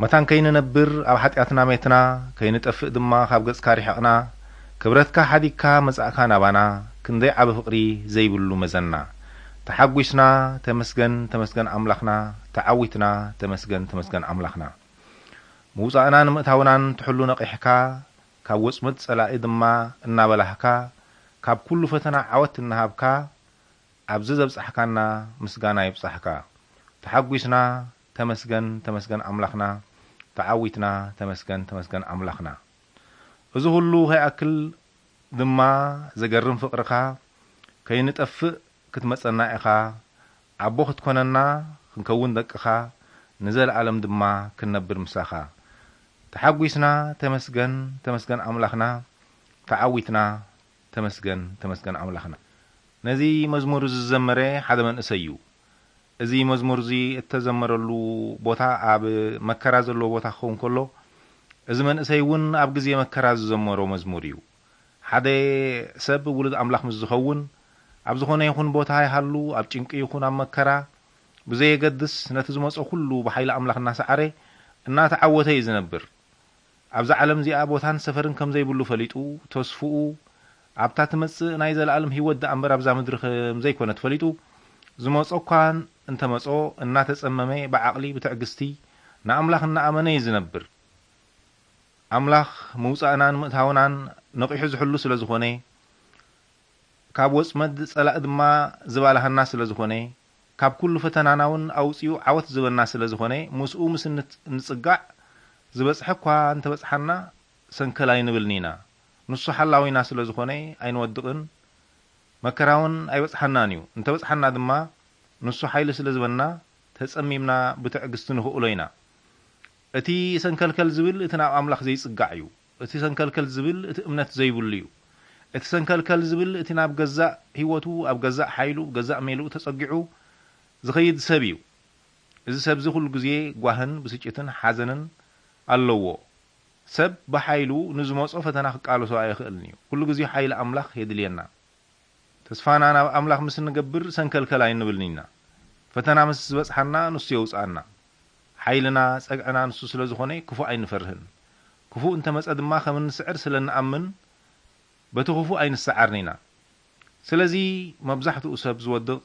መታን ከይንነብር ኣብ ሓጢኣትና ሜትና፣ ከይንጠፍእ ድማ ካብ ገጽካ ርሒቕና፣ ክብረትካ ሓዲግካ መጻእካ ናባና፣ ክንደይ ዓቢ ፍቕሪ ዘይብሉ መዘና። ተሓጒስና፣ ተመስገን፣ ተመስገን ኣምላኽና፣ ተዓዊትና፣ ተመስገን፣ ተመስገን ኣምላኽና። ምውጻእናን ምእታውናን ትሕሉ ነቒሕካ፣ ካብ ወጽመድ ጸላኢ ድማ እናበላህካ፣ ካብ ኩሉ ፈተና ዓወት እናሃብካ፣ ኣብዚ ዘብጻሕካና ምስጋና ይብጻሕካ። ተሓጒስና፣ ተመስገን፣ ተመስገን ኣምላኽና፣ ተዓዊትና፣ ተመስገን፣ ተመስገን ኣምላኽና። እዚ ኩሉ ከይኣክል ድማ ዘገርም ፍቕርኻ፣ ከይንጠፍእ ክትመጸና ኢኻ፣ ኣቦ ክትኮነና ክንከውን ደቅኻ፣ ንዘለኣለም ድማ ክንነብር ምሳኻ። ተሓጒስና፣ ተመስገን፣ ተመስገን ኣምላኽና፣ ተዓዊትና፣ ተመስገን፣ ተመስገን ኣምላኽና። ነዚ መዝሙር እዚ ዝዘመረ ሓደ መንእሰይ እዩ። እዚ መዝሙር እዚ እተዘመረሉ ቦታ ኣብ መከራ ዘለዎ ቦታ ክኸውን ከሎ፣ እዚ መንእሰይ እውን ኣብ ግዜ መከራ ዝዘመሮ መዝሙር እዩ። ሓደ ሰብ ውሉድ ኣምላኽ ምስ ዝኸውን፣ ኣብ ዝኾነ ይኹን ቦታ ይሃሉ፣ ኣብ ጭንቂ ይኹን ኣብ መከራ፣ ብዘየገድስ ነቲ ዝመጾ ኩሉ ብሓይሊ ኣምላኽ እናሰዓረ፣ እናተዓወተ እዩ ዝነብር። ኣብዛ ዓለም እዚኣ ቦታን ሰፈርን ከም ዘይብሉ ፈሊጡ፣ ተስፍኡ ኣብታ ትመጽእ ናይ ዘለኣለም ህይወት ደኣ እምበር ኣብዛ ምድሪ ከም ዘይኮነት ፈሊጡ፣ ዝመጾ እኳ እንተመጾ እናተጸመመ ብዓቕሊ ብትዕግስቲ ንኣምላኽ እናኣመነ እዩ ዝነብር። ኣምላኽ ምውጻእናን ምእታውናን ነቒሑ ዝሕሉ ስለ ዝኾነ፣ ካብ ወጽመድ ጸላኢ ድማ ዝባልሃና ስለ ዝኾነ፣ ካብ ኩሉ ፈተናና እውን ኣውጺኡ ዓወት ዝበና ስለ ዝኾነ፣ ምስኡ ምስ እንት-፣ እንጽጋዕ ዝበጽሐ እኳ እንተበጽሓና ሰንከል ኣይንብልን ኢና። ንሱ ሓላዊና ስለ ዝኾነ ኣይንወድቕን፣ መከራ እውን ኣይበጽሓናን እዩ። እንተበጽሓና ድማ ንሱ ሓይሊ ስለ ዝበና ተጸሚምና ብትዕግስቲ ንኽእሎ ኢና። እቲ ሰንከልከል ዝብል እቲ ናብ ኣምላኽ ዘይጽጋዕ እዩ። እቲ ሰንከልከል ዝብል እቲ እምነት ዘይብሉ እዩ። እቲ ሰንከልከል ዝብል እቲ ናብ ገዛእ ህይወቱ፣ ኣብ ገዛእ ሓይሉ፣ ገዛእ ሜልኡ ተጸጊዑ ዝኸይድ ሰብ እዩ። እዚ ሰብ እዚ ኩሉ ግዜ ጓህን ብስጭትን ሓዘንን ኣለዎ። ሰብ ብሓይሉ ንዝመጾ ፈተና ክቃለሶ ኣይኽእልን እዩ። ኩሉ ግዜ ሓይሊ ኣምላኽ የድልየና። ተስፋና ናብ ኣምላኽ ምስ እንገብር ሰንከልከል ኣይንብልን ኢና። ፈተና ምስ ዝበጽሓና ንሱ የውጽኣና። ሓይልና፣ ጸግዕና ንሱ ስለ ዝኾነ ክፉእ ኣይንፈርህን። ክፉእ እንተመጸ ድማ ከም እንስዕር ስለ እንኣምን በቲ ክፉእ ኣይንሰዓርን ኢና። ስለዚ መብዛሕትኡ ሰብ ዝወድቕ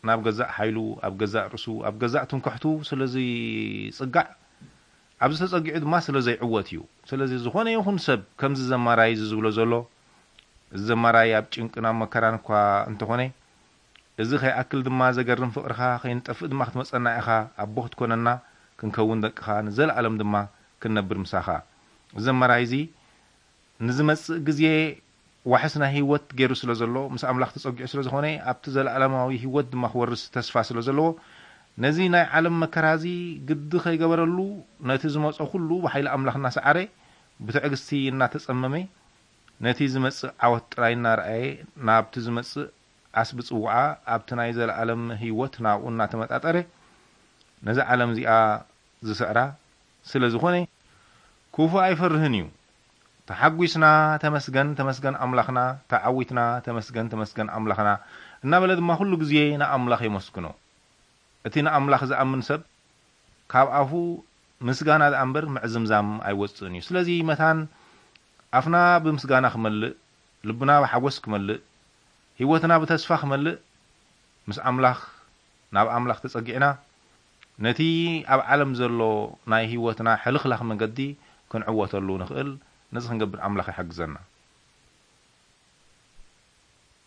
ናብ ገዛእ ሓይሉ፣ ኣብ ገዛእ ርእሱ፣ ኣብ ገዛእ ትምክሕቱ ስለ ዝጽጋዕ፣ ኣብዚ ተጸጊዑ ድማ ስለ ዘይዕወት እዩ። ስለዚ ዝኾነ ይኹን ሰብ ከምዚ ዘማራይ እዚ ዝብሎ ዘሎ፣ እዚ ዘማራይ ኣብ ጭንቅን ኣብ መከራን እኳ እንተኾነ፣ እዚ ከይኣክል ድማ ዘገርም ፍቕርኻ ከይንጠፍእ ድማ ክትመጸና ኢኻ፣ ኣቦ ክትኮነና ክንከውን ደቅኻ፣ ንዘለኣለም ድማ ክንነብር ምሳኻ። እዚ ዘማራይ እዚ ንዝመጽእ ግዜ ዋሕስ ናይ ህይወት ገይሩ ስለ ዘሎ፣ ምስ ኣምላኽ ተጸጊዑ ስለ ዝኾነ፣ ኣብቲ ዘለኣለማዊ ህይወት ድማ ክወርስ ተስፋ ስለ ዘለዎ፣ ነዚ ናይ ዓለም መከራ እዚ ግዲ ከይገበረሉ፣ ነቲ ዝመጾ ኩሉ ብሓይሊ ኣምላኽ እናሰዓረ፣ ብትዕግስቲ እናተጸመመ፣ ነቲ ዝመጽእ ዓወት ጥራይ እናረኣየ፣ ናብቲ ዝመጽእ ዓስቢ ጽውዓ፣ ኣብቲ ናይ ዘለኣለም ህይወት ናብኡ እናተመጣጠረ፣ ነዛ ዓለም እዚኣ ዝስዕራ ስለ ዝኾነ፣ ክፉእ ኣይፈርህን እዩ። ተሓጒስና፣ "ተመስገን፣ ተመስገን ኣምላኽና፣ ተዓዊትና፣ ተመስገን፣ ተመስገን ኣምላኽና" እናበለ ድማ ኩሉ ግዜ ንኣምላኽ የመስግኖ። እቲ ንኣምላኽ ዝኣምን ሰብ ካብ ኣፉ ምስጋና ደኣ እምበር ምዕዝምዛም ኣይወጽእን እዩ። ስለዚ መታን ኣፍና ብምስጋና ክመልእ፣ ልብና ብሓጎስ ክመልእ፣ ህይወትና ብተስፋ ክመልእ፣ ምስ ኣምላኽ፣ ናብ ኣምላኽ ተጸጊዕና፣ ነቲ ኣብ ዓለም ዘሎ ናይ ህይወትና ሕልኽላኽ መገዲ ክንዕወተሉ ንኽእል። ነዚ ክንገብር ኣምላኽ ይሓግዘና።